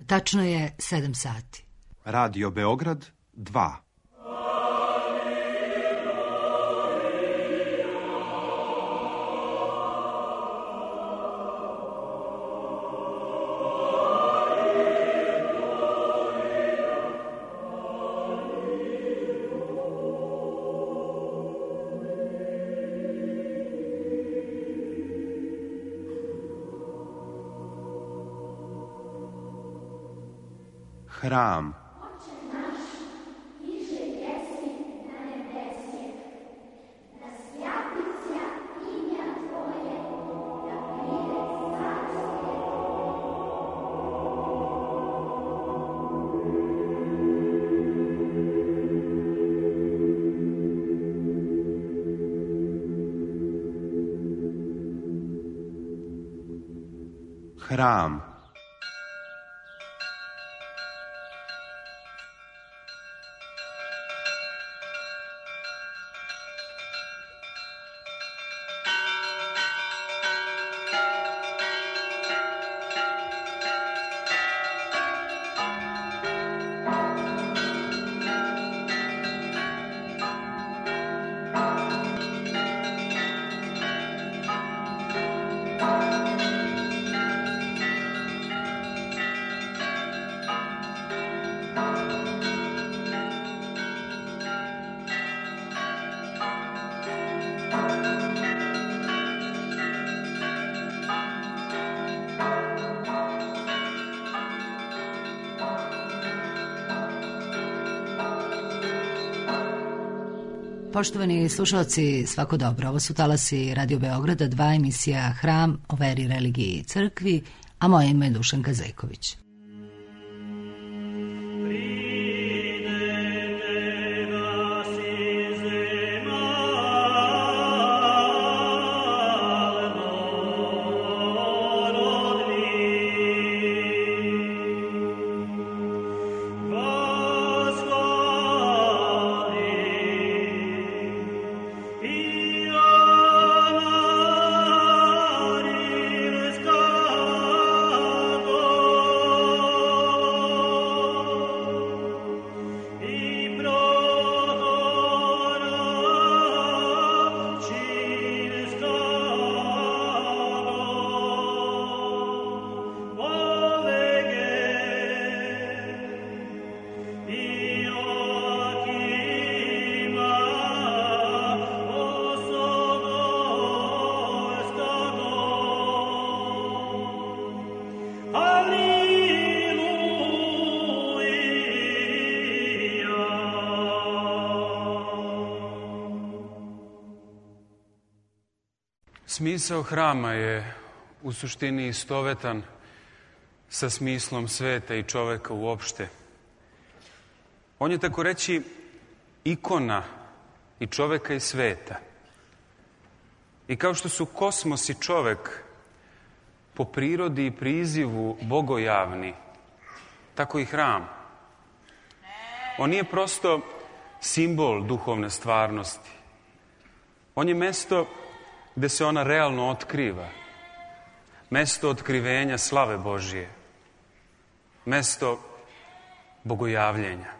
Tačno je 7 sati. Radio Beograd 2. Hram. Hram. Poštovani slušalci, svako dobro. Ovo su talasi Radio Beograda 2, emisija Hram o veri, religiji i crkvi, a moje ime je Dušanka Zejković. Smisao hrama je u suštini istovetan sa smislom sveta i čoveka uopšte. On je, tako reći, ikona i čoveka i sveta. I kao što su kosmos i čovek po prirodi i prizivu bogojavni, tako i hram. On nije prosto simbol duhovne stvarnosti. On je mesto gde se ona realno otkriva. Mesto otkrivenja slave Božije. Mesto bogojavljenja.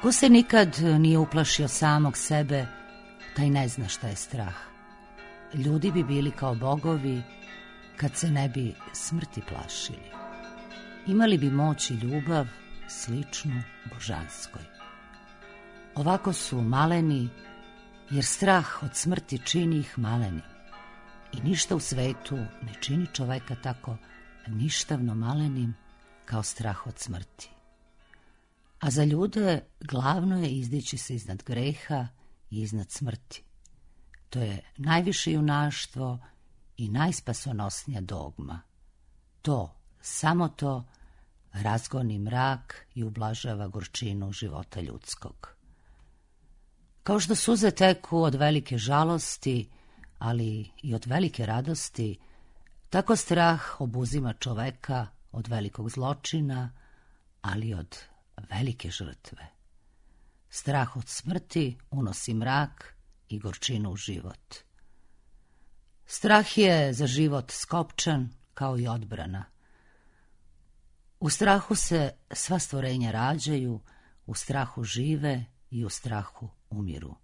Ko se nikad nije uplašio samog sebe, taj ne zna šta je strah. Ljudi bi bili kao bogovi kad se ne bi smrti plašili. Imali bi moć i ljubav sličnu božanskoj. Ovako su maleni, jer strah od smrti čini ih malenim. I ništa u svetu ne čini čoveka tako ništavno malenim kao strah od smrti. A za ljude glavno je izdići se iznad greha i iznad smrti. To je najviše junaštvo i najspasonosnija dogma. To, samo to, razgoni mrak i ublažava gorčinu života ljudskog. Kao što suze teku od velike žalosti, ali i od velike radosti, Tako strah obuzima čoveka od velikog zločina, ali od velike žrtve. Strah od smrti unosi mrak i gorčinu u život. Strah je za život skopčan kao i odbrana. U strahu se sva stvorenja rađaju, u strahu žive i u strahu umiru.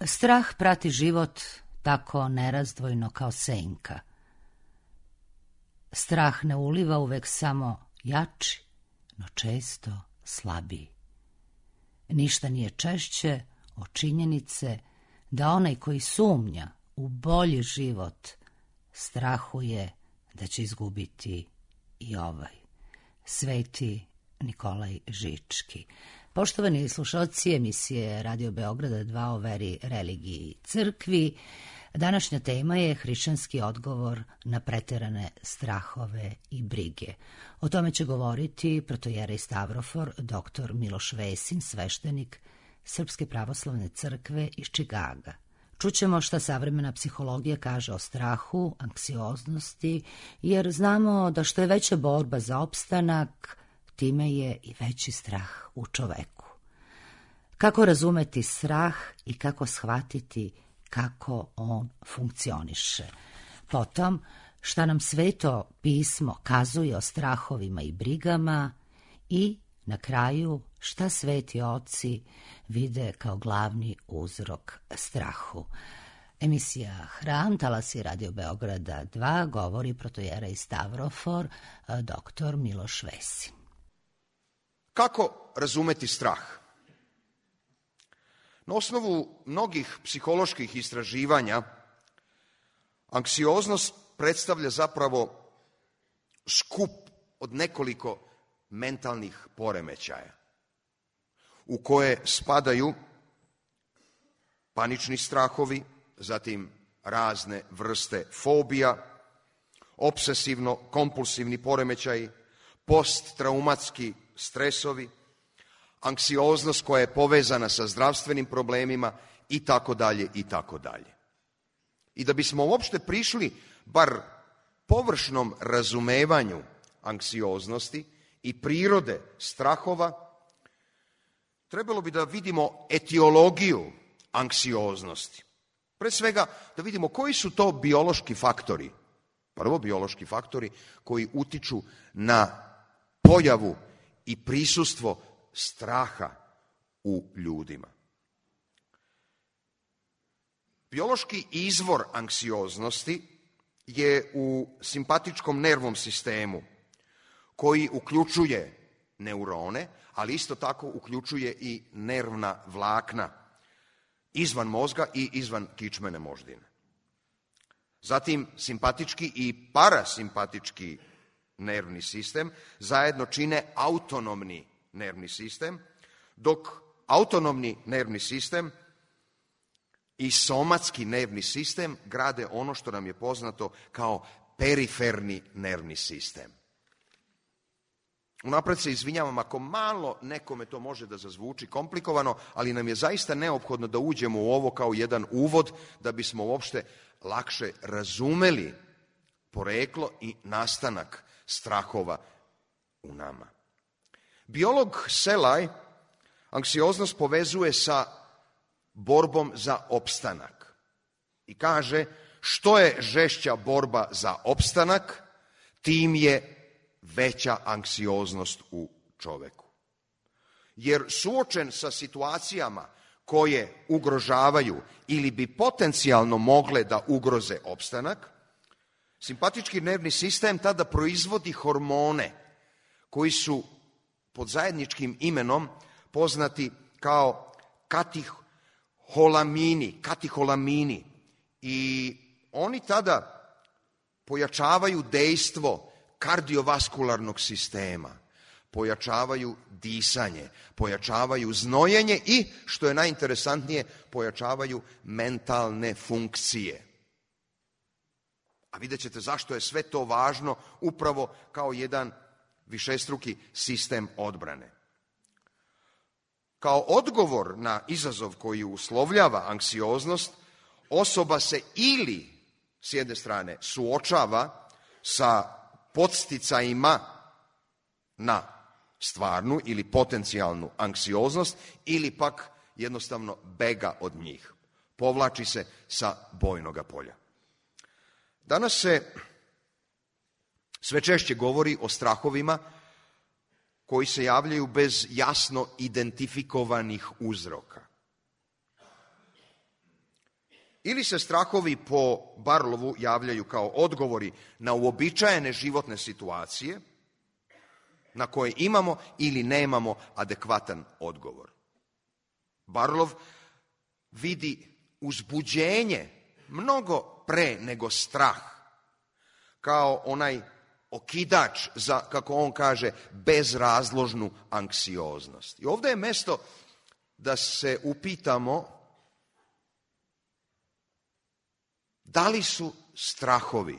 Strah prati život tako nerazdvojno kao senka. Strah ne uliva uvek samo jači, no često slabiji. Ništa nije češće od činjenice da onaj koji sumnja u bolji život strahuje da će izgubiti i ovaj. Sveti Nikolaj Žički. Poštovani slušalci emisije Radio Beograda 2 o veri, religiji i crkvi, današnja tema je hrišćanski odgovor na preterane strahove i brige. O tome će govoriti protojerej Stavrofor, dr. Miloš Vesin, sveštenik Srpske pravoslavne crkve iz Čikaga. Čućemo šta savremena psihologija kaže o strahu, anksioznosti, jer znamo da što je veća borba za opstanak, time je i veći strah u čoveku. Kako razumeti strah i kako shvatiti kako on funkcioniše. Potom, šta nam Sveto pismo kazuje o strahovima i brigama i, na kraju, šta sveti oci vide kao glavni uzrok strahu. Emisija Hram, talasi Radio Beograda 2, govori protojerej Stavrofor, dr. Miloš Vesin. Kako razumeti strah? Na osnovu mnogih psiholoških istraživanja, anksioznost predstavlja zapravo skup od nekoliko mentalnih poremećaja, u koje spadaju panični strahovi, zatim razne vrste fobija, obsesivno-kompulsivni poremećaji, posttraumatski stresovi, anksioznost koja je povezana sa zdravstvenim problemima i tako dalje i tako dalje. I da bismo uopšte prišli bar površnom razumevanju anksioznosti i prirode strahova, trebalo bi da vidimo etiologiju anksioznosti. Pre svega da vidimo koji su to biološki faktori, prvo biološki faktori koji utiču na pojavu i prisustvo straha u ljudima. Biološki izvor anksioznosti je u simpatičkom nervnom sistemu, koji uključuje neurone, ali isto tako uključuje i nervna vlakna izvan mozga i izvan kičmene moždine. Zatim simpatički i parasimpatički nervni sistem zajedno čine autonomni nervni sistem, dok autonomni nervni sistem i somatski nervni sistem grade ono što nam je poznato kao periferni nervni sistem. Unapred se izvinjavam ako malo nekome to može da zazvuči komplikovano, ali nam je zaista neophodno da uđemo u ovo kao jedan uvod da bismo uopšte lakše razumeli poreklo i nastanak strahova u nama. Biolog Selaj anksioznost povezuje sa borbom za opstanak i kaže što je žešća borba za opstanak, tim je veća anksioznost u čoveku. Jer suočen sa situacijama koje ugrožavaju ili bi potencijalno mogle da ugroze opstanak, simpatički nervni sistem tada proizvodi hormone koji su pod zajedničkim imenom poznati kao kateholamini i oni tada pojačavaju dejstvo kardiovaskularnog sistema, pojačavaju disanje, pojačavaju znojenje i, što je najinteresantnije, pojačavaju mentalne funkcije. A vidjet ćete zašto je sve to važno upravo kao jedan višestruki sistem odbrane. Kao odgovor na izazov koji uslovljava anksioznost, osoba se ili, s jedne strane, suočava sa podsticajima na stvarnu ili potencijalnu anksioznost ili pak jednostavno bega od njih. Povlači se sa bojnoga polja. Danas se sve češće govori o strahovima koji se javljaju bez jasno identifikovanih uzroka. Ili se strahovi po Barlovu javljaju kao odgovori na uobičajene životne situacije na koje imamo ili nemamo adekvatan odgovor. Barlov vidi uzbuđenje mnogo pre nego strah, kao onaj okidač za, kako on kaže, bezrazložnu anksioznost. I ovdje je mesto da se upitamo da li su strahovi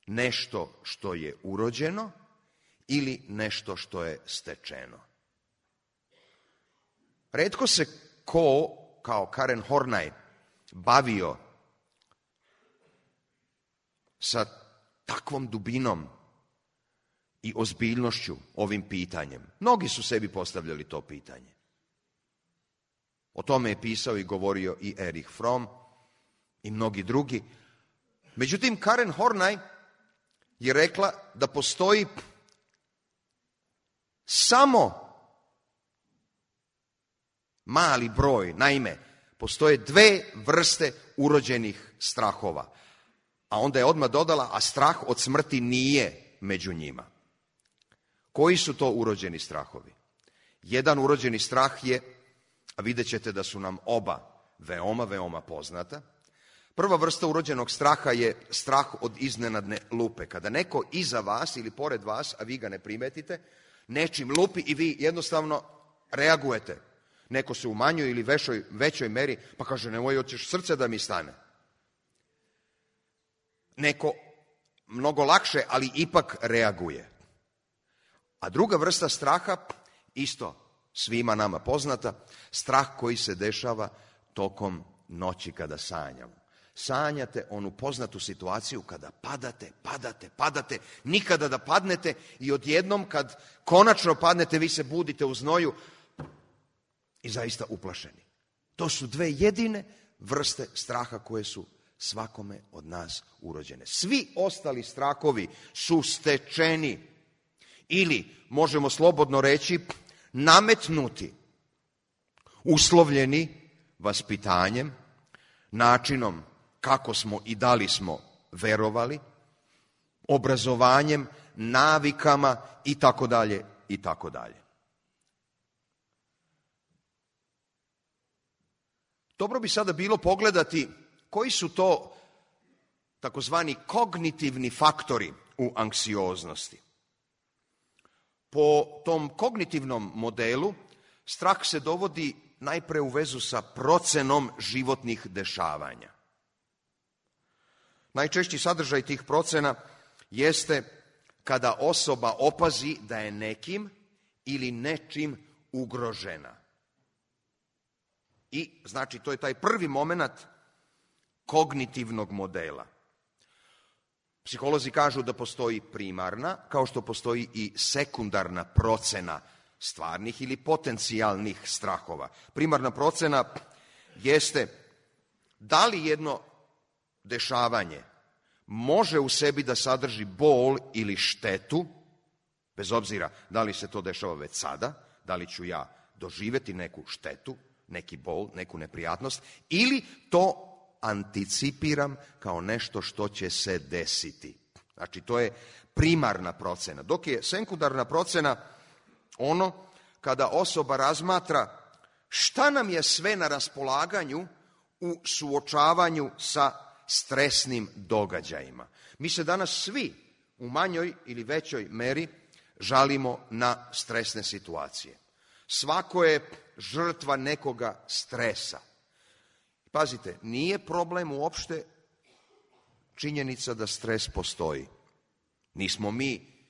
nešto što je urođeno ili nešto što je stečeno. Retko se ko, kao Karen Horney, bavio sa takvom dubinom i ozbiljnošću ovim pitanjem. Mnogi su sebi postavljali to pitanje. O tome je pisao i govorio i Erich Fromm i mnogi drugi. Međutim, Karen Horney je rekla da postoji samo mali broj, naime, postoje dve vrste urođenih strahova. A onda je odmah dodala, a strah od smrti nije među njima. Koji su to urođeni strahovi? Jedan urođeni strah je, a vidjet ćete da su nam oba veoma, veoma poznata. Prva vrsta urođenog straha je strah od iznenadne lupe. Kada neko iza vas ili pored vas, a vi ga ne primetite, nečim lupi i vi jednostavno reagujete. Neko se u manjoj ili većoj meri, pa kaže, nemoj, hoćeš srce da mi stane. Neko mnogo lakše, ali ipak reaguje. A druga vrsta straha, isto svima nama poznata, strah koji se dešava tokom noći kada sanjamo. Sanjate onu poznatu situaciju kada padate, nikada da padnete i odjednom kad konačno padnete, vi se budite u znoju i zaista uplašeni. To su dve jedine vrste straha koje su svakome od nas urođene. Svi ostali strahovi su stečeni ili, možemo slobodno reći, nametnuti, uslovljeni vaspitanjem, načinom kako smo i da li smo verovali, obrazovanjem, navikama i tako dalje i tako dalje. Dobro bi sada bilo pogledati koji su to takozvani kognitivni faktori u anksioznosti. Po tom kognitivnom modelu strah se dovodi najpre u vezu sa procenom životnih dešavanja. Najčešći sadržaj tih procena jeste kada osoba opazi da je nekim ili nečim ugrožena. I, znači, to je taj prvi moment kognitivnog modela. Psiholozi kažu da postoji primarna, kao što postoji i sekundarna procena stvarnih ili potencijalnih strahova. Primarna procena jeste da li jedno dešavanje može u sebi da sadrži bol ili štetu, bez obzira da li se to dešava već sada, da li ću ja doživjeti neku štetu, neki bol, neku neprijatnost, ili to anticipiram kao nešto što će se desiti. Znači, to je primarna procena. Dok je sekundarna procena ono kada osoba razmatra šta nam je sve na raspolaganju u suočavanju sa stresnim događajima. Mi se danas svi u manjoj ili većoj meri žalimo na stresne situacije. Svako je žrtva nekoga stresa. Pazite, nije problem uopšte činjenica da stres postoji. Nismo mi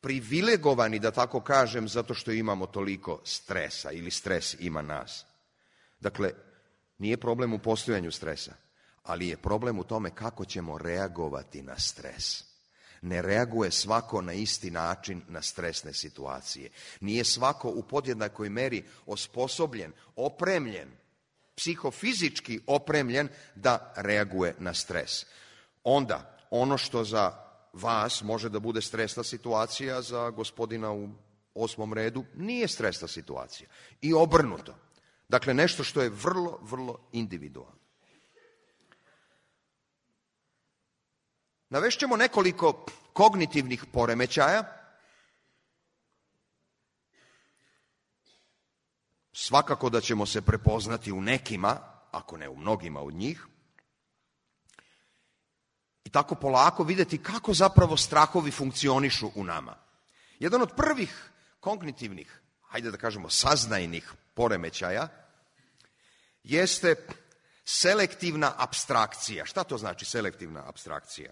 privilegovani, da tako kažem, zato što imamo toliko stresa ili stres ima nas. Dakle, nije problem u postojanju stresa, ali je problem u tome kako ćemo reagovati na stres. Ne reaguje svako na isti način na stresne situacije. Nije svako u podjednakoj meri osposobljen, opremljen, psihofizički opremljen da reaguje na stres. Onda, ono što za vas može da bude stresna situacija, za gospodina u 8. redu nije stresna situacija. I obrnuto. Dakle, nešto što je vrlo, vrlo individualno. Navešćemo nekoliko kognitivnih poremećaja. Svakako da ćemo se prepoznati u nekima, ako ne u mnogima od njih. I tako polako vidjeti kako zapravo strahovi funkcionišu u nama. Jedan od prvih kognitivnih, hajde da kažemo saznajnih poremećaja, jeste selektivna apstrakcija. Šta to znači selektivna apstrakcija?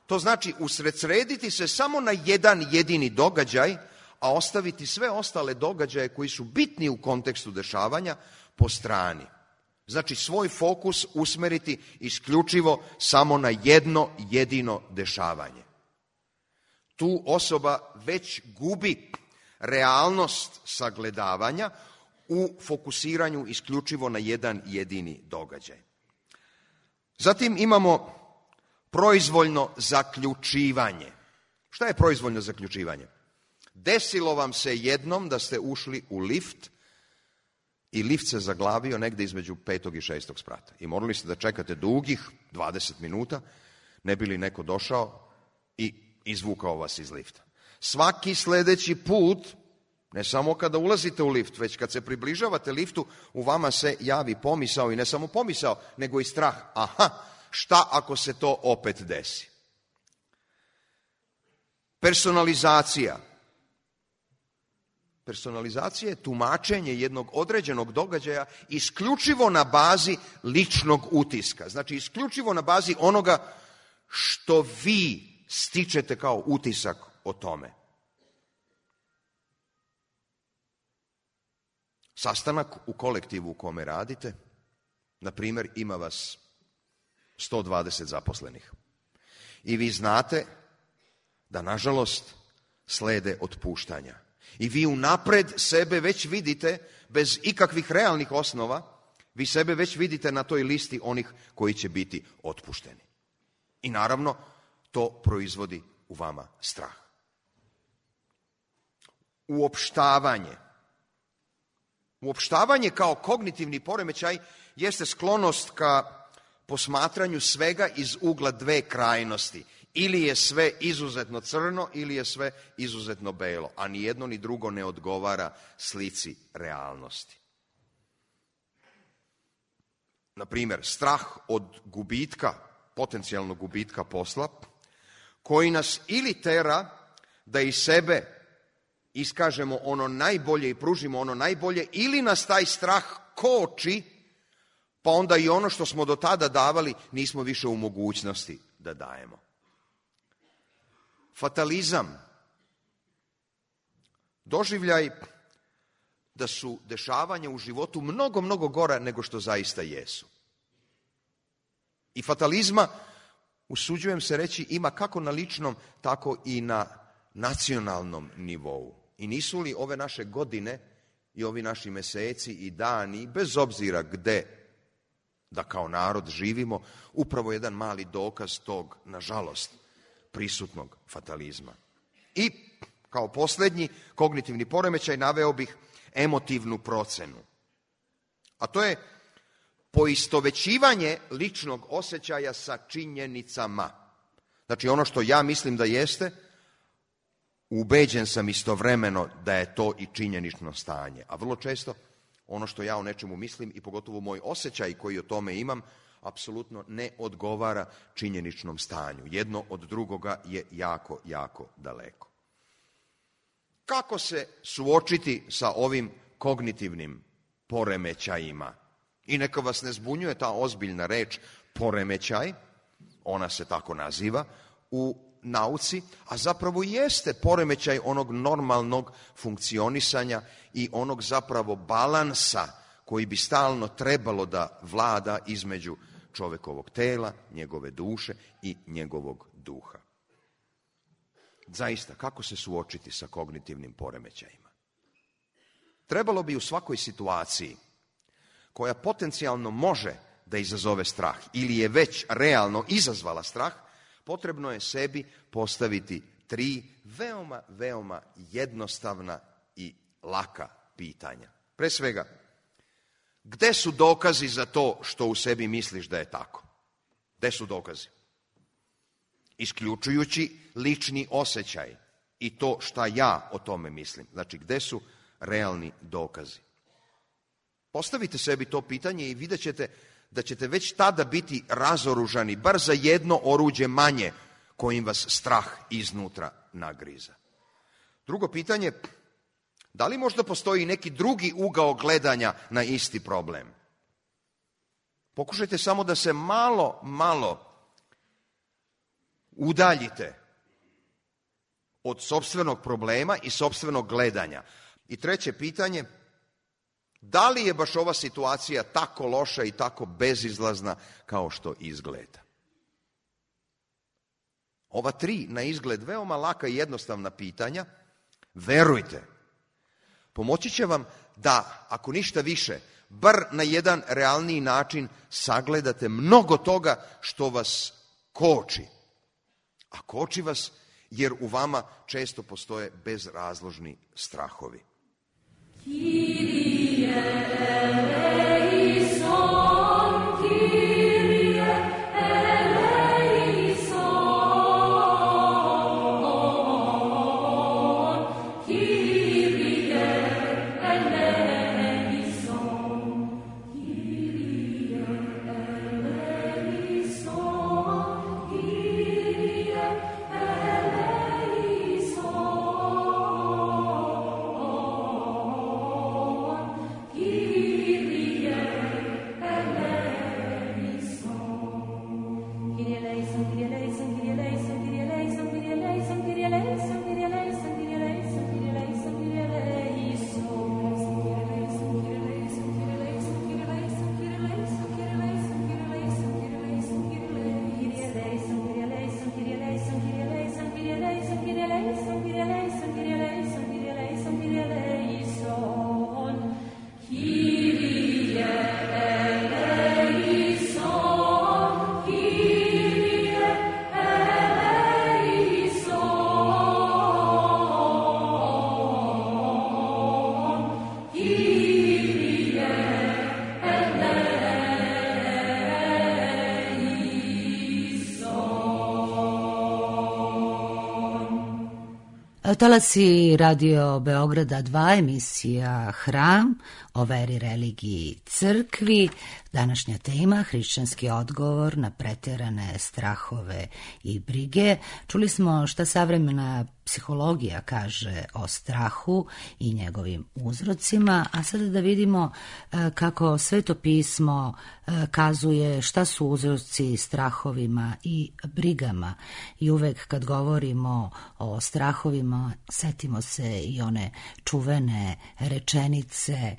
To znači usredsrediti se samo na jedan jedini događaj, a ostaviti sve ostale događaje koji su bitni u kontekstu dešavanja po strani. Znači svoj fokus usmeriti isključivo samo na jedno jedino dešavanje. Tu osoba već gubi realnost sagledavanja u fokusiranju isključivo na jedan jedini događaj. Zatim imamo proizvoljno zaključivanje. Šta je proizvoljno zaključivanje? Desilo vam se jednom da ste ušli u lift i lift se zaglavio negde između 5. i 6. sprata. I morali ste da čekate dugih 20 minuta, ne bi li neko došao i izvukao vas iz lifta. Svaki sledeći put, ne samo kada ulazite u lift, već kad se približavate liftu, u vama se javi pomisao, i ne samo pomisao, nego i strah. Aha, šta ako se to opet desi? Personalizacija. Personalizacija je tumačenje jednog određenog događaja isključivo na bazi ličnog utiska. Znači isključivo na bazi onoga što vi stičete kao utisak o tome. Sastanak u kolektivu u kome radite, na primjer, ima vas 120 zaposlenih. I vi znate da, nažalost, slede otpuštanja. I vi unapred sebe već vidite, bez ikakvih realnih osnova, vi sebe već vidite na toj listi onih koji će biti otpušteni. I naravno, to proizvodi u vama strah. Uopštavanje. Uopštavanje kao kognitivni poremećaj jeste sklonost ka posmatranju svega iz ugla dve krajnosti. Ili je sve izuzetno crno, ili je sve izuzetno belo, a ni jedno ni drugo ne odgovara slici realnosti. Na primjer, strah od gubitka, potencijalnog gubitka posla, koji nas ili tera da iz sebe iskažemo ono najbolje i pružimo ono najbolje, ili nas taj strah koči, pa onda i ono što smo do tada davali nismo više u mogućnosti da dajemo. Fatalizam. Doživljaj da su dešavanja u životu mnogo, mnogo gora nego što zaista jesu. I fatalizma, usuđujem se reći, ima kako na ličnom, tako i na nacionalnom nivou. I nisu li ove naše godine i ovi naši meseci i dani, bez obzira gde da kao narod živimo, upravo jedan mali dokaz tog, nažalost, prisutnog fatalizma. I kao posljednji kognitivni poremećaj naveo bih emotivnu procenu. A to je poistovećivanje ličnog osjećaja sa činjenicama. Znači ono što ja mislim da jeste, ubeđen sam istovremeno da je to i činjenično stanje. A vrlo često ono što ja o nečemu mislim i pogotovo moj osjećaj koji o tome imam, apsolutno ne odgovara činjeničnom stanju. Jedno od drugoga je jako, jako daleko. Kako se suočiti sa ovim kognitivnim poremećajima? I neka vas ne zbunjuje ta ozbiljna reč poremećaj, ona se tako naziva u nauci, a zapravo jeste poremećaj onog normalnog funkcionisanja i onog zapravo balansa koji bi stalno trebalo da vlada između čovekovog tela, njegove duše i njegovog duha. Zaista, kako se suočiti sa kognitivnim poremećajima? Trebalo bi u svakoj situaciji koja potencijalno može da izazove strah ili je već realno izazvala strah, potrebno je sebi postaviti 3 veoma, veoma jednostavna i laka pitanja. Pre svega, gde su dokazi za to što u sebi misliš da je tako? Gde su dokazi? Isključujući lični osjećaj i to šta ja o tome mislim. Znači, gde su realni dokazi? Postavite sebi to pitanje i vidjet ćete da ćete već tada biti razoružani, bar za jedno oruđe manje kojim vas strah iznutra nagriza. Drugo pitanje, da li možda postoji neki drugi ugao gledanja na isti problem? Pokušajte samo da se malo udaljite od sopstvenog problema i sopstvenog gledanja. I treće pitanje, da li je baš ova situacija tako loša i tako bezizlazna kao što izgleda? Ova 3 na izgled veoma laka i jednostavna pitanja, verujte, pomoći će vam da, ako ništa više, bar na jedan realniji način sagledate mnogo toga što vas koči. A koči vas jer u vama često postoje bezrazložni strahovi. Talasi Radio Beograda 2, emisija Hram, o veri, religiji, crkvi. Današnja tema, hrišćanski odgovor na preterane strahove i brige. Čuli smo šta savremena psihologija kaže o strahu i njegovim uzrocima, a sada da vidimo kako Sveto pismo kazuje šta su uzroci strahovima i brigama. I uvek kad govorimo o strahovima, setimo se i one čuvene rečenice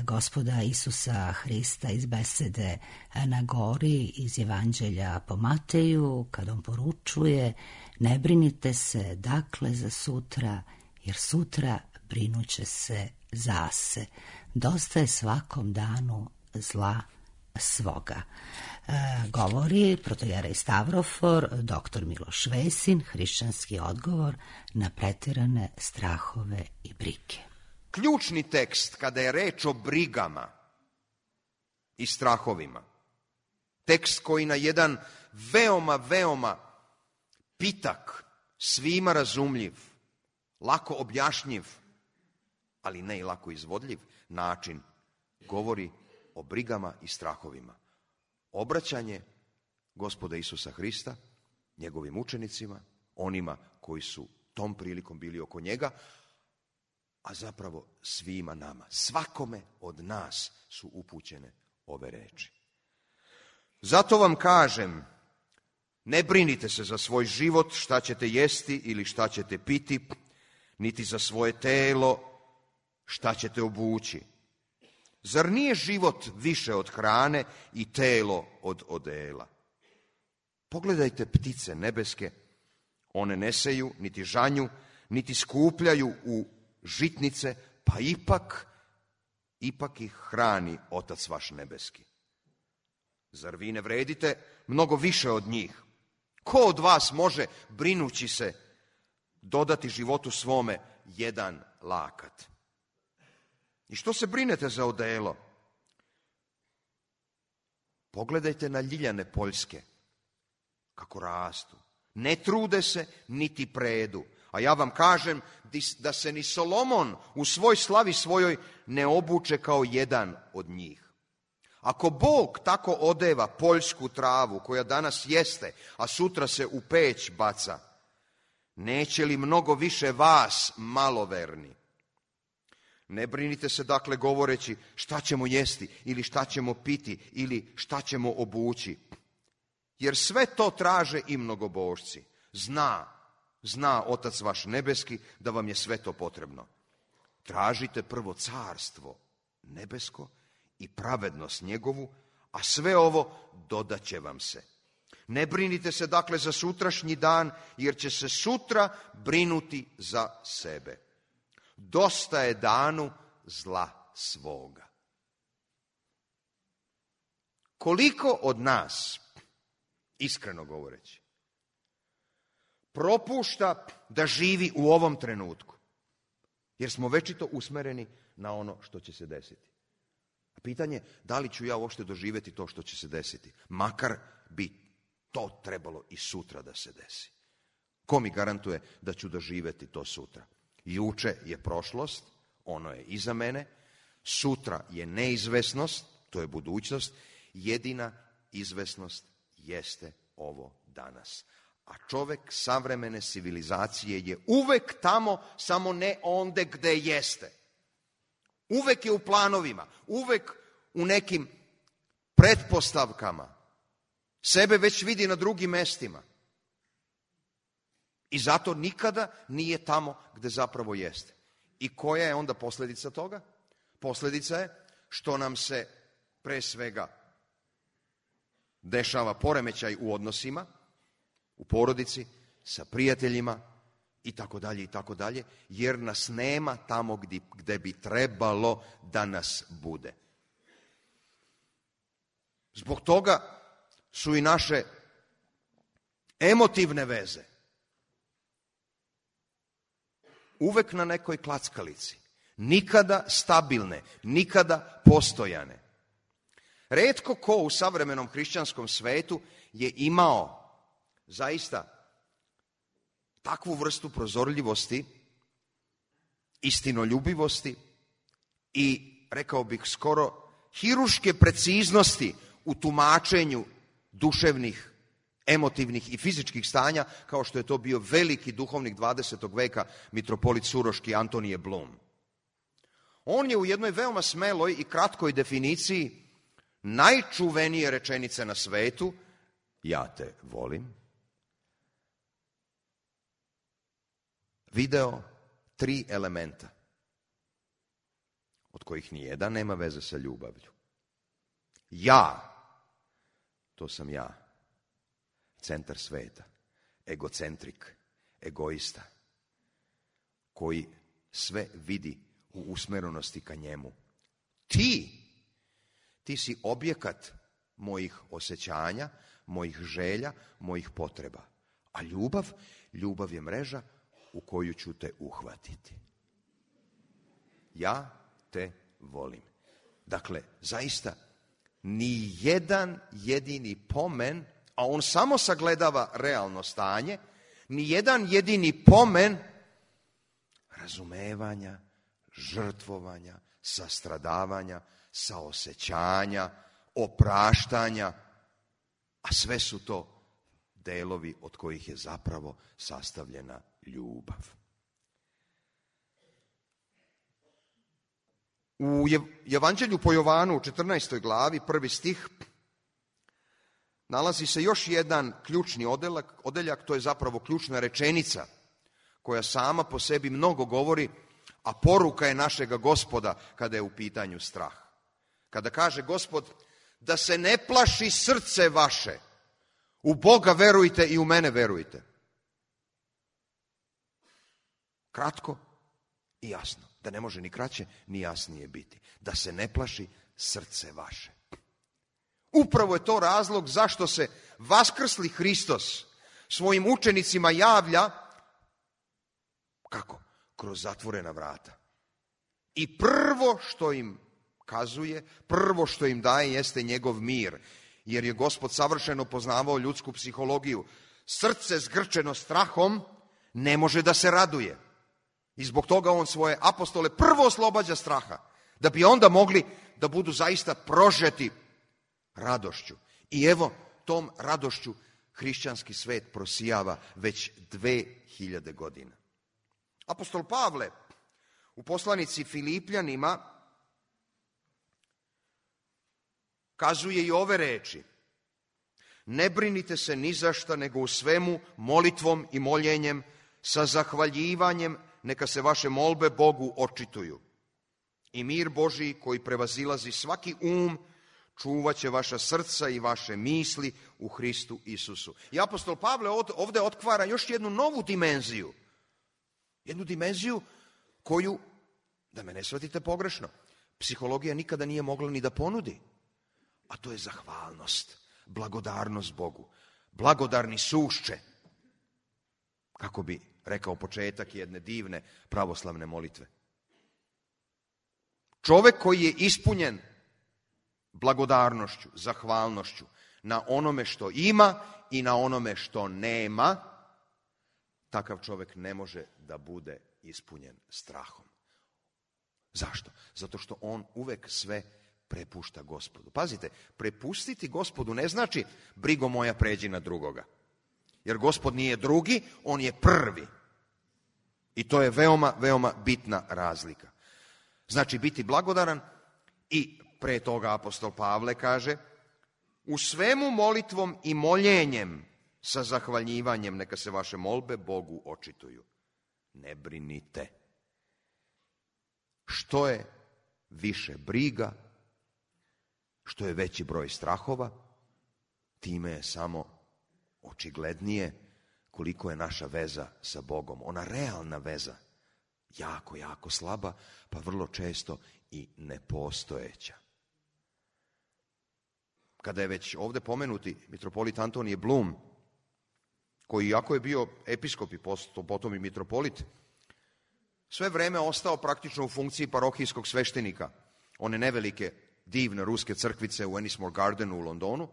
Gospoda Isusa Hrista iz besede na gori iz Evanđelja po Mateju, kad on poručuje: ne brinite se dakle za sutra, jer sutra brinuće se zase. Dosta je svakom danu zla svoga. Govori protojerej Stavrofor, dr. Miloš Vesin, hrišćanski odgovor na preterane strahove i brige. Ključni tekst kada je reč o brigama i strahovima, tekst koji na jedan veoma pitak, svima razumljiv, lako objašnjiv, ali ne i lako izvodljiv način, govori o brigama i strahovima. Obraćanje Gospoda Isusa Hrista njegovim učenicima, onima koji su tom prilikom bili oko njega, a zapravo svima nama. Svakome od nas su upućene ove reči. Zato vam kažem, ne brinite se za svoj život, šta ćete jesti ili šta ćete piti, niti za svoje telo, šta ćete obući. Zar nije život više od hrane i telo od odela? Pogledajte ptice nebeske, One ne seju, niti žanju, niti skupljaju u žitnice, pa ipak ih hrani Otac vaš nebeski. Zar vi ne vredite mnogo više od njih? Ko od vas može, brinući se, dodati životu svome jedan lakat? I što se brinete za odelo? Pogledajte na ljiljane poljske, kako rastu. Ne trude se, niti predu. A ja vam kažem da se ni Solomon u svoj slavi svojoj ne obuče kao jedan od njih. Ako Bog tako odeva poljsku travu koja danas jeste, a sutra se u peć baca, neće li mnogo više vas, maloverni? Ne brinite se dakle govoreći šta ćemo jesti ili šta ćemo piti ili šta ćemo obući. Jer sve to traže i mnogobožci. Zna Otac vaš nebeski da vam je sve to potrebno. Tražite prvo carstvo nebesko i pravednost njegovu, a sve ovo dodat će vam se. Ne brinite se dakle za sutrašnji dan, jer će se sutra brinuti za sebe. Dosta je danu zla svoga. Koliko od nas, iskreno govoreći, propušta da živi u ovom trenutku, jer smo večito usmereni na ono što će se desiti. A pitanje, da li ću ja uopšte doživjeti to što će se desiti, makar bi to trebalo i sutra da se desi. Ko mi garantuje da ću doživjeti to sutra? Juče je prošlost, ono je iza mene, sutra je neizvesnost, to je budućnost, jedina izvesnost jeste ovo danas. A čovjek savremene civilizacije je uvek tamo, samo ne onde gde jeste. Uvek je u planovima, uvek u nekim pretpostavkama. Sebe već vidi na drugim mestima. I zato nikada nije tamo gde zapravo jeste. I koja je onda posljedica toga? Posljedica je što nam se pre svega dešava poremećaj u odnosima, u porodici, sa prijateljima i tako dalje, jer nas nema tamo gde bi trebalo da nas bude. Zbog toga su i naše emotivne veze uvek na nekoj klackalici, nikada stabilne, nikada postojane. Retko ko u savremenom hrišćanskom svetu je imao zaista takvu vrstu prozorljivosti, istinoljubivosti i, rekao bih, skoro hiruške preciznosti u tumačenju duševnih, emotivnih i fizičkih stanja, kao što je to bio veliki duhovnik 20. veka, mitropolit Suroški Antonije Blum. On je u jednoj veoma smeloj i kratkoj definiciji najčuvenije rečenice na svetu, ja te volim, video 3 elementa, od kojih nijedan nema veze sa ljubavlju. Ja, to sam ja, centar sveta, egocentrik, egoista, koji sve vidi u usmerenosti ka njemu. Ti si objekat mojih osjećanja, mojih želja, mojih potreba. A ljubav je mreža u koju ću te uhvatiti. Ja te volim. Dakle, zaista, ni jedan jedini pomen, a on samo sagledava realno stanje, ni jedan jedini pomen razumevanja, žrtvovanja, sastradavanja, saosećanja, opraštanja, a sve su to delovi od kojih je zapravo sastavljena ljubav. U Evanđelju po Jovanu u 14. glavi, 1. stih, nalazi se još jedan ključni odeljak, to je zapravo ključna rečenica koja sama po sebi mnogo govori, a poruka je našega Gospoda kada je u pitanju strah. Kada kaže Gospod, da se ne plaši srce vaše, u Boga verujte i u mene verujte. Kratko i jasno. Da ne može ni kraće, ni jasnije biti. Da se ne plaši srce vaše. Upravo je to razlog zašto se vaskrsli Hristos svojim učenicima javlja, kako? Kroz zatvorena vrata. I prvo što im kazuje, prvo što im daje jeste njegov mir. Jer je Gospod savršeno poznavao ljudsku psihologiju. Srce zgrčeno strahom ne može da se raduje. I zbog toga on svoje apostole prvo oslobađa straha. Da bi onda mogli da budu zaista prožeti radošću. I evo, tom radošću hrišćanski svet prosijava već 2000 godina. Apostol Pavle u poslanici Filipljanima kazuje i ove reči. Ne brinite se ni za šta, nego u svemu molitvom i moljenjem sa zahvaljivanjem neka se vaše molbe Bogu očituju. I mir Božji koji prevazilazi svaki čuvat će vaša srca i vaše misli u Hristu Isusu. I apostol Pavle ovdje otkvara još jednu novu dimenziju. Jednu dimenziju koju, da me ne shvatite pogrešno, psihologija nikada nije mogla ni da ponudi. A to je zahvalnost, blagodarnost Bogu. Blagodarni sušće. Kako bi rekao početak jedne divne pravoslavne molitve. Čovjek koji je ispunjen blagodarnošću, zahvalnošću na onome što ima i na onome što nema, takav čovjek ne može da bude ispunjen strahom. Zašto? Zato što on uvek sve prepušta Gospodu. Pazite, prepustiti Gospodu ne znači brigo moja pređi na drugoga. Jer Gospod nije drugi, on je prvi. I to je veoma, veoma bitna razlika. Znači biti blagodaran i pre toga apostol Pavle kaže u svemu molitvom i moljenjem sa zahvaljivanjem neka se vaše molbe Bogu očituju. Ne brinite. Što je više briga, što je veći broj strahova, time je samo očiglednije koliko je naša veza sa Bogom. Ona realna veza, jako, jako slaba, pa vrlo često i nepostojeća. Kada je već ovdje pomenuti mitropolit Antonije Blum, koji iako je bio episkop i potom i mitropolit, sve vreme ostao praktično u funkciji parohijskog sveštenika, one nevelike, divne ruske crkvice u Ennismore Gardenu u Londonu.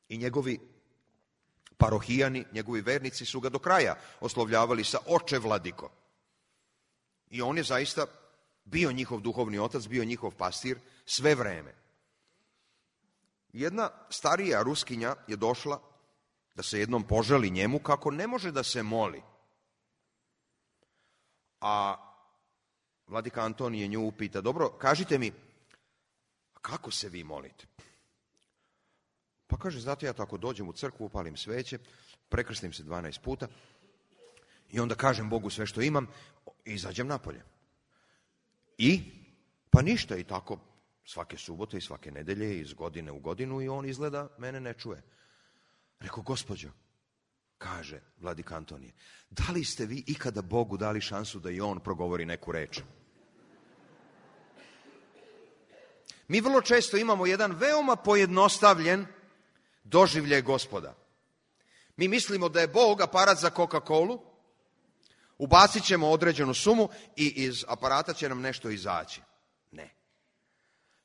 I njegovi parohijani, njegovi vernici su ga do kraja oslovljavali sa oče vladiko. I on je zaista bio njihov duhovni otac, bio njihov pastir sve vreme. Jedna starija Ruskinja je došla da se jednom požali njemu kako ne može da se moli. A vladika Antonije nju upita, dobro, kažite mi, kako se vi molite? Pa kaže, znate, ja tako dođem u crkvu, upalim sveće, prekrstim se 12 puta i onda kažem Bogu sve što imam i izađem napolje. I? Pa ništa, i tako svake subote i svake nedelje, iz godine u godinu, i on izgleda mene ne čuje. Rekao, gospođo, kaže vladika Antonije, da li ste vi ikada Bogu dali šansu da i on progovori neku reč? Mi vrlo često imamo jedan veoma pojednostavljen doživljaj Gospoda. Mi mislimo da je Bog aparat za Coca-Colu, ubacit ćemo određenu sumu i iz aparata će nam nešto izaći. Ne.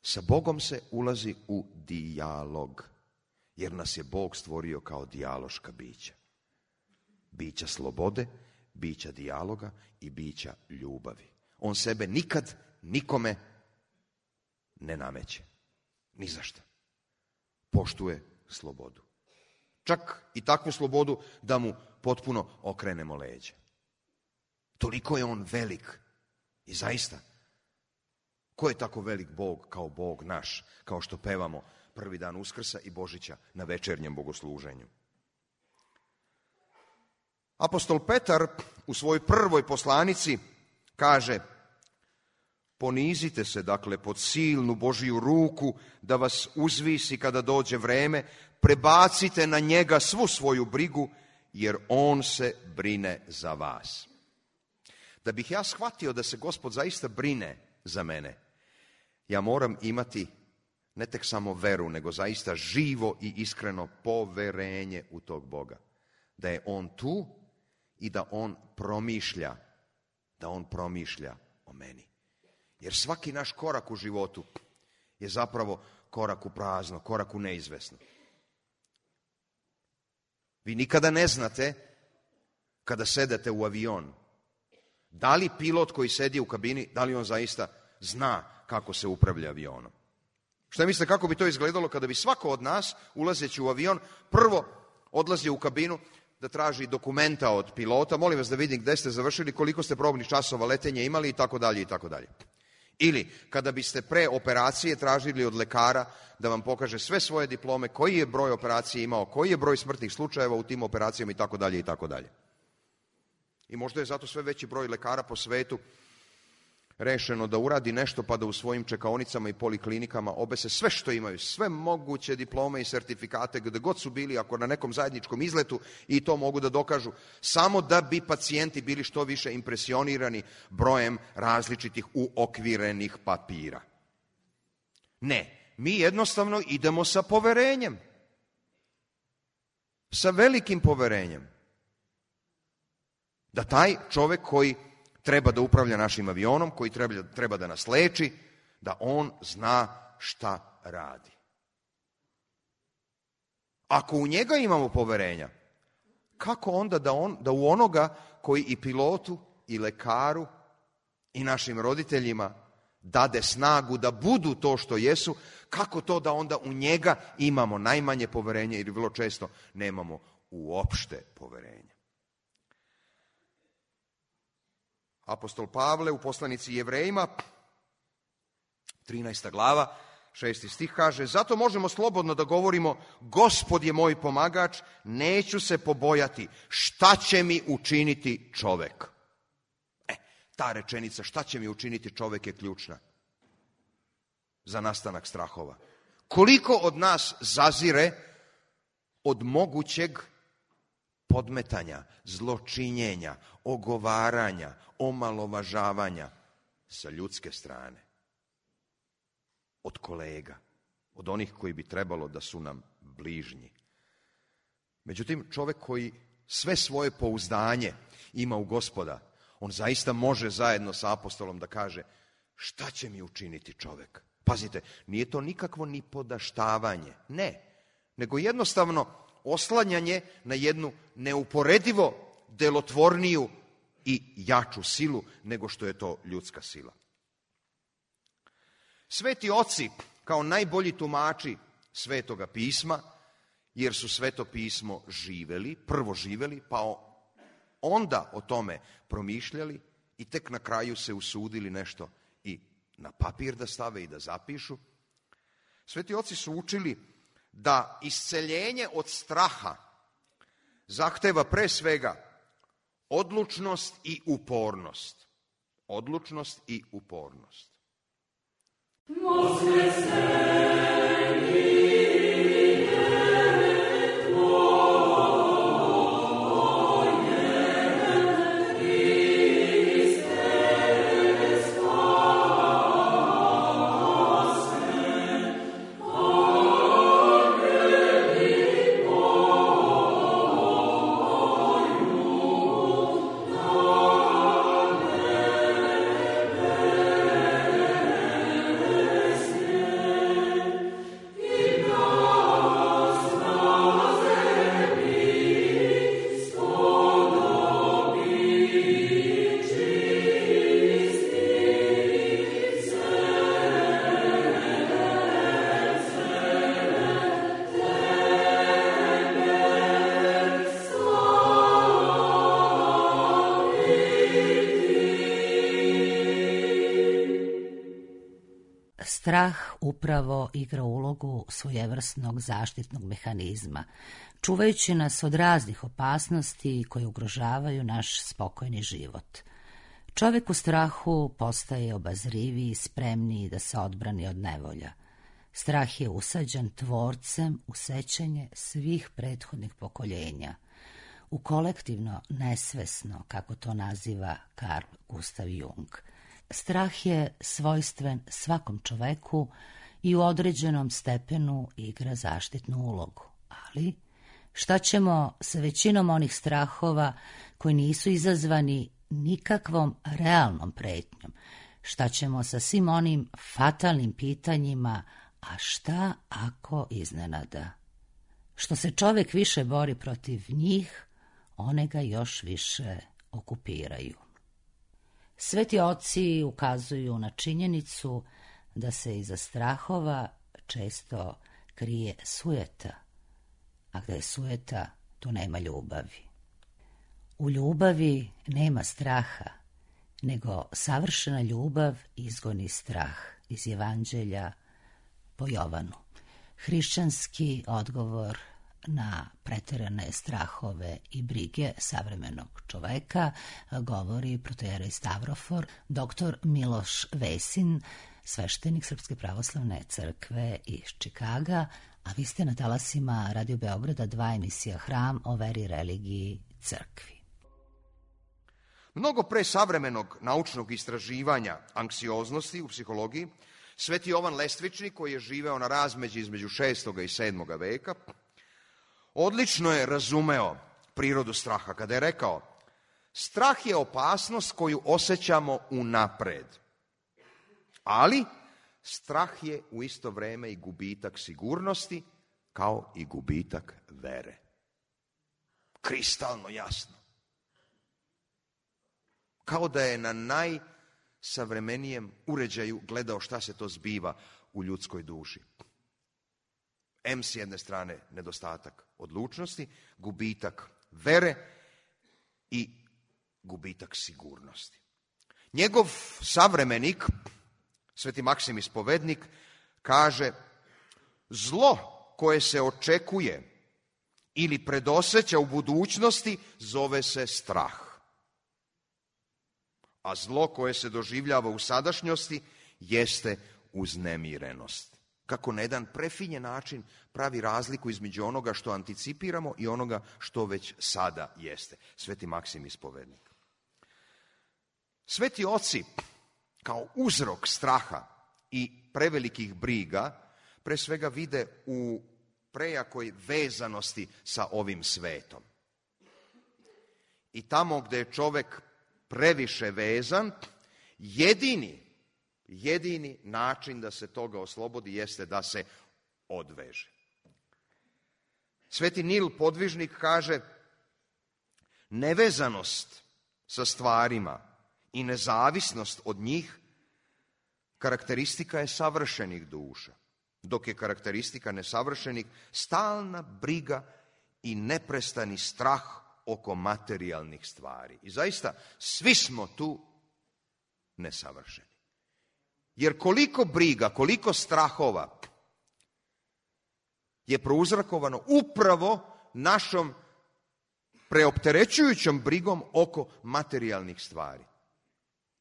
Sa Bogom se ulazi u dijalog, jer nas je Bog stvorio kao dijaloška bića. Bića slobode, bića dijaloga i bića ljubavi. On sebe nikad nikome ne nameće. Ni za šta. Poštuje slobodu. Čak i takvu slobodu da mu potpuno okrenemo leđa. Toliko je on velik. I zaista, ko je tako velik Bog kao Bog naš, kao što pevamo prvi dan Uskrsa i Božića na večernjem bogosluženju? Apostol Petar u svojoj prvoj poslanici kaže: ponizite se, dakle, pod silnu Božiju ruku da vas uzvisi kada dođe vreme, prebacite na njega svu svoju brigu, jer on se brine za vas. Da bih ja shvatio da se Gospod zaista brine za mene, ja moram imati ne tek samo veru, nego zaista živo i iskreno poverenje u tog Boga. Da je on tu i da on promišlja o meni. Jer svaki naš korak u životu je zapravo korak u prazno, korak u neizvesno. Vi nikada ne znate, kada sedete u avion, da li pilot koji sedi u kabini, da li on zaista zna kako se upravlja avionom. Šta mislite kako bi to izgledalo kada bi svako od nas, ulazeći u avion, prvo odlazio u kabinu da traži dokumenta od pilota, molim vas da vidim gde ste završili, koliko ste probnih časova letenja imali i tako dalje i tako dalje. Ili kada biste pre operacije tražili od lekara da vam pokaže sve svoje diplome, koji je broj operacije imao, koji je broj smrtnih slučajeva u tim operacijama i tako dalje i tako dalje. I možda je zato sve veći broj lekara po svetu rešeno da uradi nešto pa da u svojim čekaonicama i poliklinikama obese sve što imaju, sve moguće diplome i sertifikate gde god su bili, ako na nekom zajedničkom izletu, i to mogu da dokažu, samo da bi pacijenti bili što više impresionirani brojem različitih uokvirenih papira. Ne, mi jednostavno idemo sa poverenjem. Sa velikim poverenjem. Da taj čovek koji treba da upravlja našim avionom, koji treba da nas leči, da on zna šta radi. Ako u njega imamo poverenja, kako onda da u onoga koji i pilotu, i lekaru, i našim roditeljima dade snagu da budu to što jesu, kako to da onda u njega imamo najmanje poverenje ili vrlo često nemamo uopšte poverenja. Apostol Pavle u poslanici Jevrejima, 13. glava, 6. stih kaže: zato možemo slobodno da govorimo, Gospod je moj pomagač, neću se pobojati, šta će mi učiniti čovek? Ta rečenica, šta će mi učiniti čovek, je ključna za nastanak strahova. Koliko od nas zazire od mogućeg podmetanja, zločinjenja, ogovaranja, omalovažavanja sa ljudske strane, od kolega, od onih koji bi trebalo da su nam bližnji. Međutim, čovek koji sve svoje pouzdanje ima u Gospoda, on zaista može zajedno sa apostolom da kaže: šta će mi učiniti čovek? Pazite, nije to nikakvo ni podaštavanje, ne, nego jednostavno oslanjanje na jednu neuporedivo delotvorniju i jaču silu nego što je to ljudska sila. Sveti oci, kao najbolji tumači Svetoga pisma, jer su Sveto pismo prvo živeli, pa onda o tome promišljali i tek na kraju se usudili nešto i na papir da stave i da zapišu. Sveti oci su učili da isceljenje od straha zahteva pre svega odlučnost i upornost. Odlučnost i upornost. Strah upravo igra ulogu svojevrsnog zaštitnog mehanizma, čuvajući nas od raznih opasnosti koje ugrožavaju naš spokojni život. Čovjek u strahu postaje obazriviji, spremniji da se odbrani od nevolja. Strah je usađen tvorcem u sećanje svih prethodnih pokoljenja. u kolektivno nesvesno, kako to naziva Carl Gustav Jung. Strah je svojstven svakom čoveku i u određenom stepenu igra zaštitnu ulogu. Ali šta ćemo sa većinom onih strahova koji nisu izazvani nikakvom realnom pretnjom? Šta ćemo sa svim onim fatalnim pitanjima, a šta ako iznenada? Što se čovek više bori protiv njih, one ga još više okupiraju. Sveti oci ukazuju na činjenicu da se iza strahova često krije sujeta, a gde je sujeta, tu nema ljubavi. U ljubavi nema straha, nego savršena ljubav izgoni strah, iz Evanđelja po Jovanu. Hrišćanski odgovor na preterane strahove i brige savremenog čoveka govori protoijerej Stavrofor, dr. Miloš Vesin, sveštenik Srpske pravoslavne crkve iz Čikaga, a vi ste na talasima Radio Beograda 2 emisija Hram o veri, religiji, crkvi. Mnogo pre savremenog naučnog istraživanja anksioznosti u psihologiji, sveti Jovan Lestvičnik, koji je živeo na razmeđi između 6. i 7. veka, odlično je razumeo prirodu straha kada je rekao: strah je opasnost koju osjećamo unapred, ali strah je u isto vreme i gubitak sigurnosti, kao i gubitak vere. Kristalno jasno. Kao da je na najsavremenijem uređaju gledao šta se to zbiva u ljudskoj duši. S jedne strane nedostatak odlučnosti, gubitak vere i gubitak sigurnosti. Njegov savremenik, sveti Maksim Ispovednik, kaže: zlo koje se očekuje ili predosjeća u budućnosti zove se strah, a zlo koje se doživljava u sadašnjosti jeste uznemirenost. Kako na jedan prefinjen način pravi razliku između onoga što anticipiramo i onoga što već sada jeste. Sveti Maksim Ispovednik. Sveti oci kao uzrok straha i prevelikih briga pre svega vide u prejakoj vezanosti sa ovim svetom. I tamo gde je čovek previše vezan, jedini način da se toga oslobodi jeste da se odveže. Sveti Nil Podvižnik kaže: nevezanost sa stvarima i nezavisnost od njih karakteristika je savršenih duša, dok je karakteristika nesavršenih stalna briga i neprestani strah oko materijalnih stvari. I zaista, svi smo tu nesavršeni. Jer koliko briga, koliko strahova je prouzrokovano upravo našom preopterećujućom brigom oko materijalnih stvari.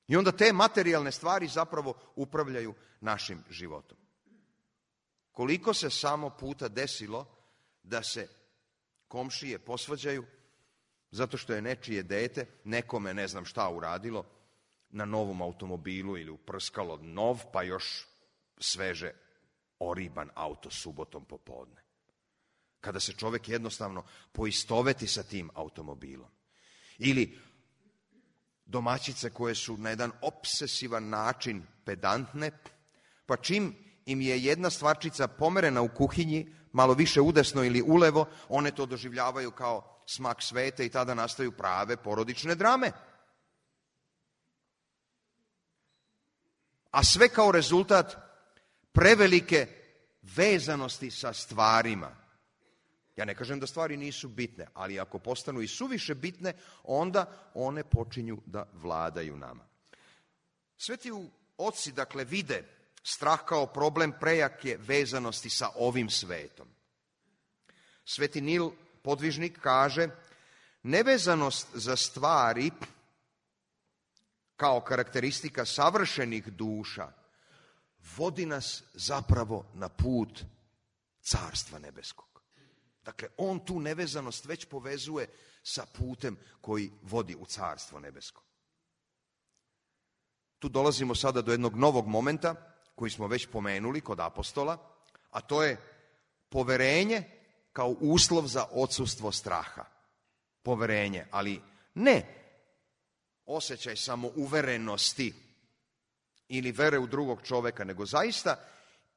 I onda te materijalne stvari zapravo upravljaju našim životom. Koliko se samo puta desilo da se komšije posvađaju zato što je nečije dete nekome ne znam šta uradilo na novom automobilu ili uprskalo nov, pa još sveže oriban auto subotom popodne. Kada se čovek jednostavno poistoveti sa tim automobilom. Ili domaćice koje su na jedan opsesivan način pedantne, pa čim im je jedna stvarčica pomerena u kuhinji, malo više udesno ili ulevo, one to doživljavaju kao smak sveta i tada nastaju prave porodične drame. A sve kao rezultat prevelike vezanosti sa stvarima. Ja ne kažem da stvari nisu bitne, ali ako postanu i suviše bitne, onda one počinju da vladaju nama. Sveti oci, dakle, vide strah kao problem prejake vezanosti sa ovim svetom. Sveti Nil Podvižnik kaže: nevezanost za stvari kao karakteristika savršenih duša vodi nas zapravo na put Carstva nebeskog. Dakle, on tu nevezanost već povezuje sa putem koji vodi u Carstvo nebesko. Tu dolazimo sada do jednog novog momenta koji smo već pomenuli kod apostola, a to je poverenje kao uslov za odsustvo straha. Poverenje, ali ne osjećaj samouverenosti ili vere u drugog čoveka, nego zaista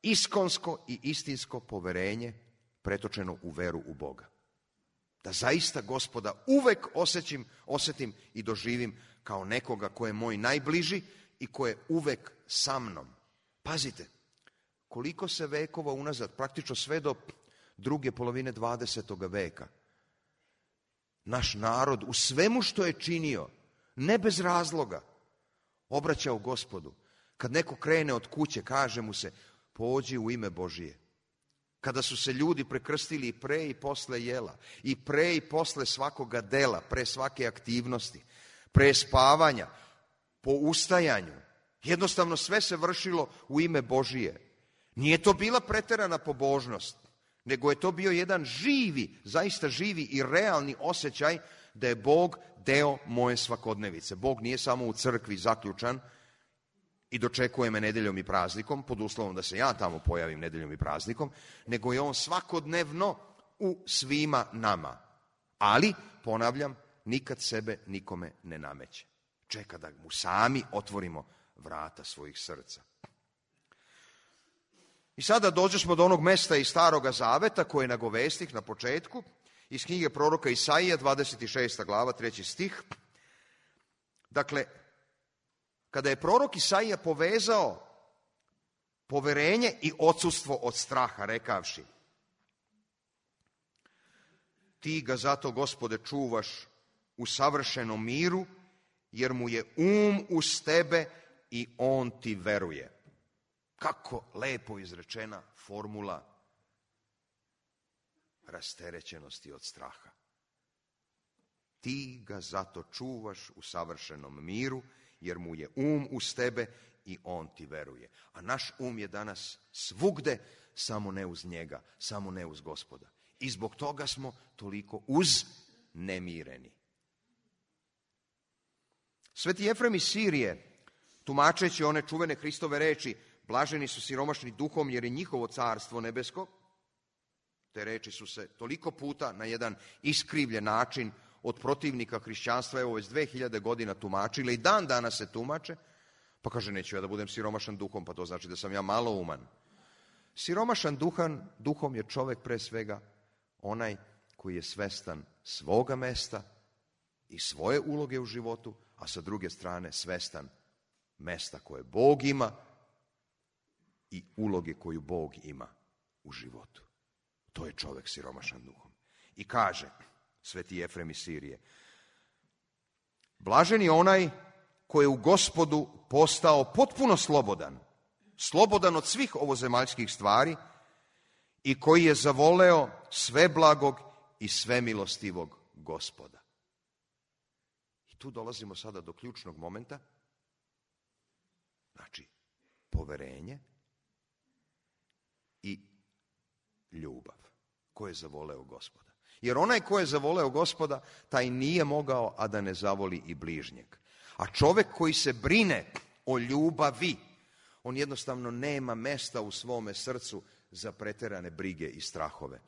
iskonsko i istinsko poverenje pretočeno u veru u Boga. Da zaista Gospoda uvek osjetim i doživim kao nekoga ko je moj najbliži i ko je uvek sa mnom. Pazite, koliko se vekova unazad, praktično sve do druge polovine 20. veka, naš narod u svemu što je činio, ne bez razloga, obraćao Gospodu. Kad neko krene od kuće, kaže mu se, pođi u ime Božije. Kada su se ljudi prekrstili i pre i posle jela, i pre i posle svakoga dela, pre svake aktivnosti, pre spavanja, po ustajanju, jednostavno sve se vršilo u ime Božije. Nije to bila preterana pobožnost, nego je to bio jedan živi, zaista živi i realni osjećaj da je Bog deo moje svakodnevice. Bog nije samo u crkvi zaključan i dočekuje me nedeljom i praznikom, pod uslovom da se ja tamo pojavim nedeljom i praznikom, nego je on svakodnevno u svima nama. Ali, ponavljam, nikad sebe nikome ne nameće. Čeka da mu sami otvorimo vrata svojih srca. I sada dođemo do onog mesta iz Staroga Zaveta koje nagovestih na početku, iz knjige proroka Isaija, 26. glava, 3. stih. Dakle, kada je prorok Isaija povezao poverenje i odsustvo od straha, rekavši: ti ga zato, Gospode, čuvaš u savršenom miru, jer mu je uz tebe i on ti veruje. Kako lepo izrečena formula rasterećenosti od straha. Ti ga zato čuvaš u savršenom miru, jer mu je uz tebe i on ti veruje. A naš je danas svugde, samo ne uz njega, samo ne uz Gospoda. I zbog toga smo toliko uznemireni. Sveti Jefrem iz Sirije, tumačeći one čuvene Hristove reči, blaženi su siromašni duhom, jer je njihovo carstvo nebesko, te reči su se toliko puta na jedan iskrivljen način od protivnika hrišćanstva, evo već 2000 godina tumačile i dan danas se tumače, pa kaže, neću ja da budem siromašan duhom, pa to znači da sam ja malouman. Siromašan duhom je čovek pre svega onaj koji je svestan svoga mesta i svoje uloge u životu, a sa druge strane svestan mesta koje Bog ima i uloge koju Bog ima u životu. To je čovek siromašan duhom. I kaže Sveti Jefrem iz Sirije: blažen je onaj koji je u Gospodu postao potpuno slobodan od svih ovozemaljskih stvari i koji je zavoleo sveblagog i svemilostivog Gospoda. I tu dolazimo sada do ključnog momenta, znači poverenje i ljubav. Ko je zavoleo Gospoda? Jer onaj ko je zavoleo Gospoda, taj nije mogao, a da ne zavoli i bližnjeg. A čovek koji se brine o ljubavi, on jednostavno nema mesta u svome srcu za preterane brige i strahove.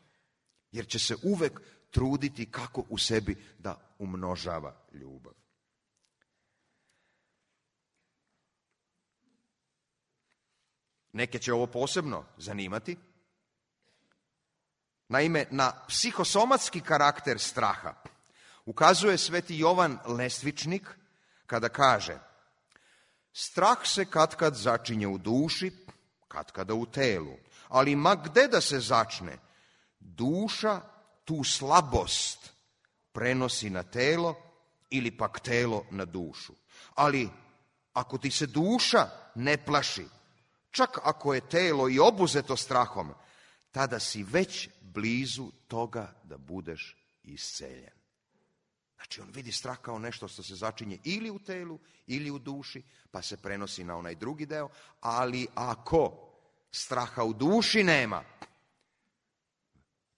Jer će se uvek truditi kako u sebi da umnožava ljubav. Neke će ovo posebno zanimati. Naime, na psihosomatski karakter straha ukazuje Sveti Jovan Lestvičnik kada kaže: strah se katkad začinje u duši, katkada u telu, ali ma gde da se začne, duša tu slabost prenosi na telo ili pak telo na dušu. Ali ako ti se duša ne plaši, čak ako je telo i obuzeto strahom, tada si već blizu toga da budeš isceljen. Znači, on vidi strah kao nešto što se začinje ili u telu, ili u duši, pa se prenosi na onaj drugi deo, ali ako straha u duši nema,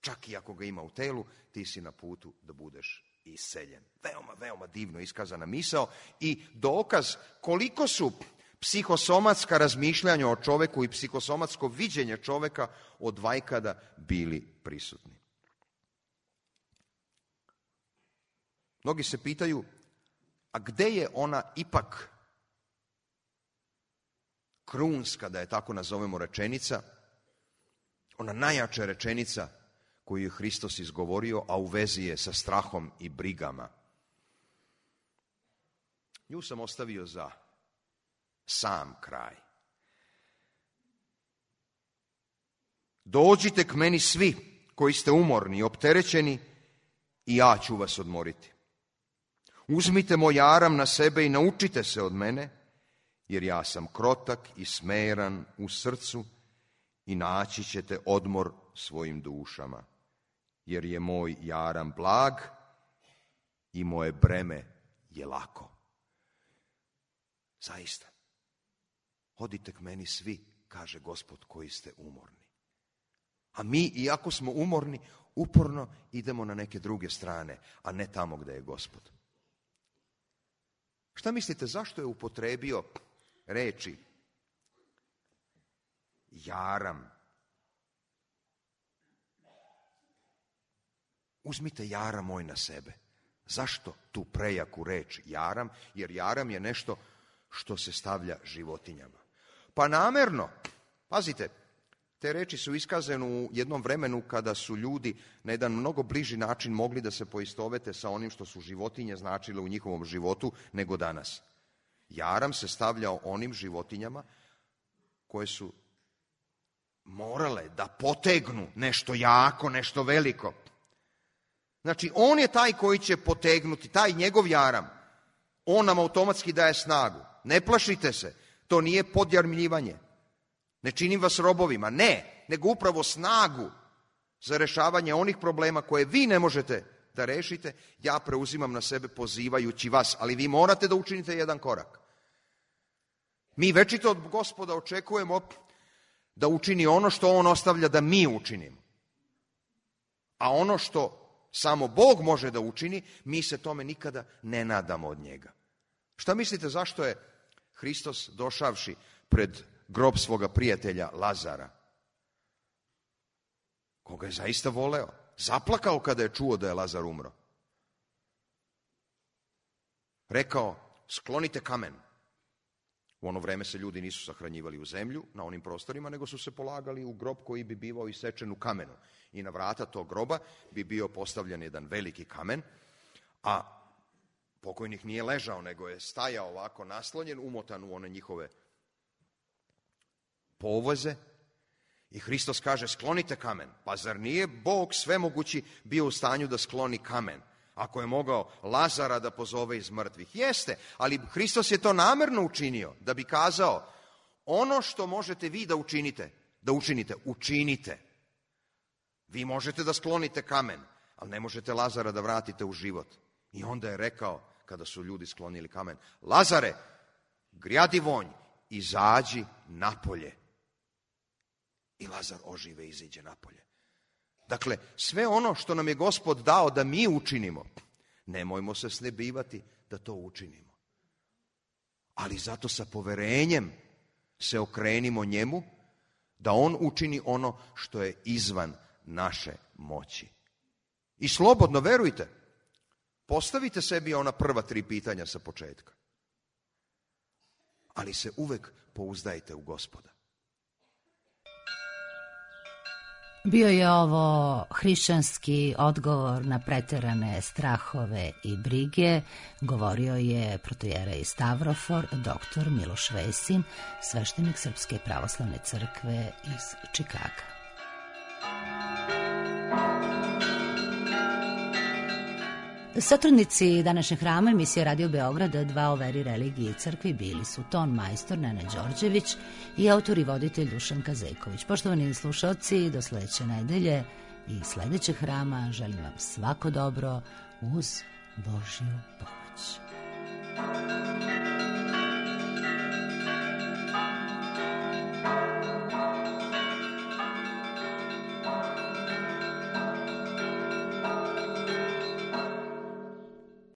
čak i ako ga ima u telu, ti si na putu da budeš iseljen. Veoma, veoma divno iskazana misao i dokaz koliko su psihosomatska razmišljanja o čoveku i psihosomatsko viđenje čoveka od vajkada bili prisutni. Mnogi se pitaju, a gde je ona ipak krunska, da je tako nazovemo, rečenica, ona najjača rečenica koju je Hristos izgovorio, a u vezi je sa strahom i brigama. Nju sam ostavio za sam kraj. Dođite k meni svi koji ste umorni i opterećeni i ja ću vas odmoriti. Uzmite moj jaram na sebe i naučite se od mene, jer ja sam krotak i smeran u srcu i naći ćete odmor svojim dušama, jer je moj jaram blag i moje breme je lako. Zaista, odite k meni svi, kaže Gospod, koji ste umorni. A mi, iako smo umorni, uporno idemo na neke druge strane, a ne tamo gde je Gospod. Šta mislite, zašto je upotrebio reči jaram? Uzmite jaram moj na sebe. Zašto tu prejaku reč jaram? Jer jaram je nešto što se stavlja životinjama. Pa namerno, pazite, te reči su iskazane u jednom vremenu kada su ljudi na jedan mnogo bliži način mogli da se poistovete sa onim što su životinje značile u njihovom životu nego danas. Jaram se stavljao onim životinjama koje su morale da potegnu nešto jako, nešto veliko. Znači, on je taj koji će potegnuti, taj njegov jaram. On nam automatski daje snagu. Ne plašite se, to nije podjarmljivanje. Ne činim vas robovima, ne, nego upravo snagu za rešavanje onih problema koje vi ne možete da rešite, ja preuzimam na sebe pozivajući vas, ali vi morate da učinite jedan korak. Mi večito od Gospoda očekujemo da učini ono što on ostavlja da mi učinimo. A ono što samo Bog može da učini, mi se tome nikada ne nadamo od njega. Šta mislite, zašto je Hristos došavši pred grob svoga prijatelja Lazara, koga je zaista voleo, zaplakao kada je čuo da je Lazar umro? Rekao, sklonite kamen. U ono vreme se ljudi nisu sahranjivali u zemlju na onim prostorima, nego su se polagali u grob koji bi bivao isečen u kamenu. I na vrata tog groba bi bio postavljen jedan veliki kamen, a pokojnik nije ležao, nego je stajao ovako naslonjen, umotan u one njihove povoze. I Hristos kaže, sklonite kamen. Pa zar nije Bog svemogući bio u stanju da skloni kamen? Ako je mogao Lazara da pozove iz mrtvih. Jeste, ali Hristos je to namerno učinio, da bi kazao, ono što možete vi da učinite, učinite. Vi možete da sklonite kamen, ali ne možete Lazara da vratite u život. I onda je rekao, kada su ljudi sklonili kamen, Lazare, grjadi vonj, izađi napolje. I Lazar ožive i iziđe napolje. Dakle, sve ono što nam je Gospod dao da mi učinimo, nemojmo se snebivati da to učinimo. Ali zato sa poverenjem se okrenimo njemu, da on učini ono što je izvan naše moći. I slobodno, verujte, postavite sebi ona prva 3 pitanja sa početka. Ali se uvek pouzdajte u Gospoda. Bio je ovo hrišćanski odgovor na preterane strahove i brige. Govorio je protojerej Stavrofor, dr. Miloš Vesin, sveštenik Srpske pravoslavne crkve iz Čikaga. Satrudnici današnjeg hrama emisije Radio Beograd 2 o veri, religiji i crkvi bili su ton majstor Nena Đorđević i autor i voditelj Dušan Kazejković. Poštovani slušalci, do sledeće nedelje i sledećeg hrama želim vam svako dobro uz Božju pomoć.